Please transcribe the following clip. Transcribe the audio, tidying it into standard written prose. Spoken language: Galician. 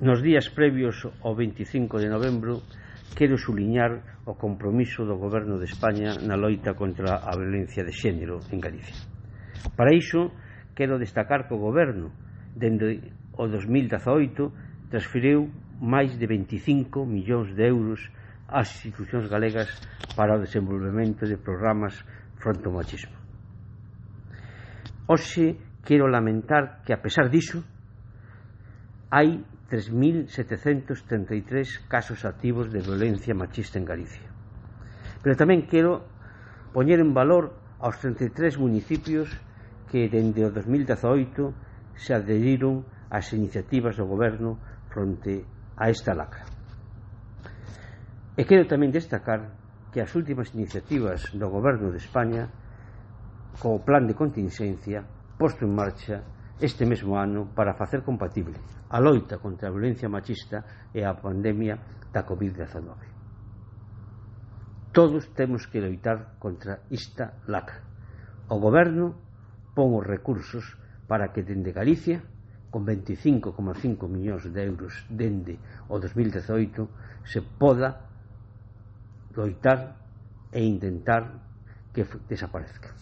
Nos días previos ao 25 de novembro quero suliñar o compromiso do Goberno de España na loita contra a violencia de xénero en Galicia. Para iso, quero destacar que o Goberno, dende o 2018, transferiu máis de 25 millóns de euros ás institucións galegas para o desenvolvemento de programas fronte ao machismo. Hoxe quero lamentar que, a pesar diso, hai 3.733 casos activos de violencia machista en Galicia. Pero tamén quero poñer en valor aos 33 municipios que, dende o 2018, se adheriron ás iniciativas do Goberno fronte a esta lacra. E quero tamén destacar que as últimas iniciativas do Goberno de España, co plan de contingencia posto en marcha este mesmo ano para facer compatible a loita contra a violencia machista e a pandemia da COVID-19. Todos temos que loitar contra esta lacra. O Goberno pon os recursos para que dende Galicia, con 25,5 millóns de euros dende o 2018, se poda loitar e intentar que desaparezca.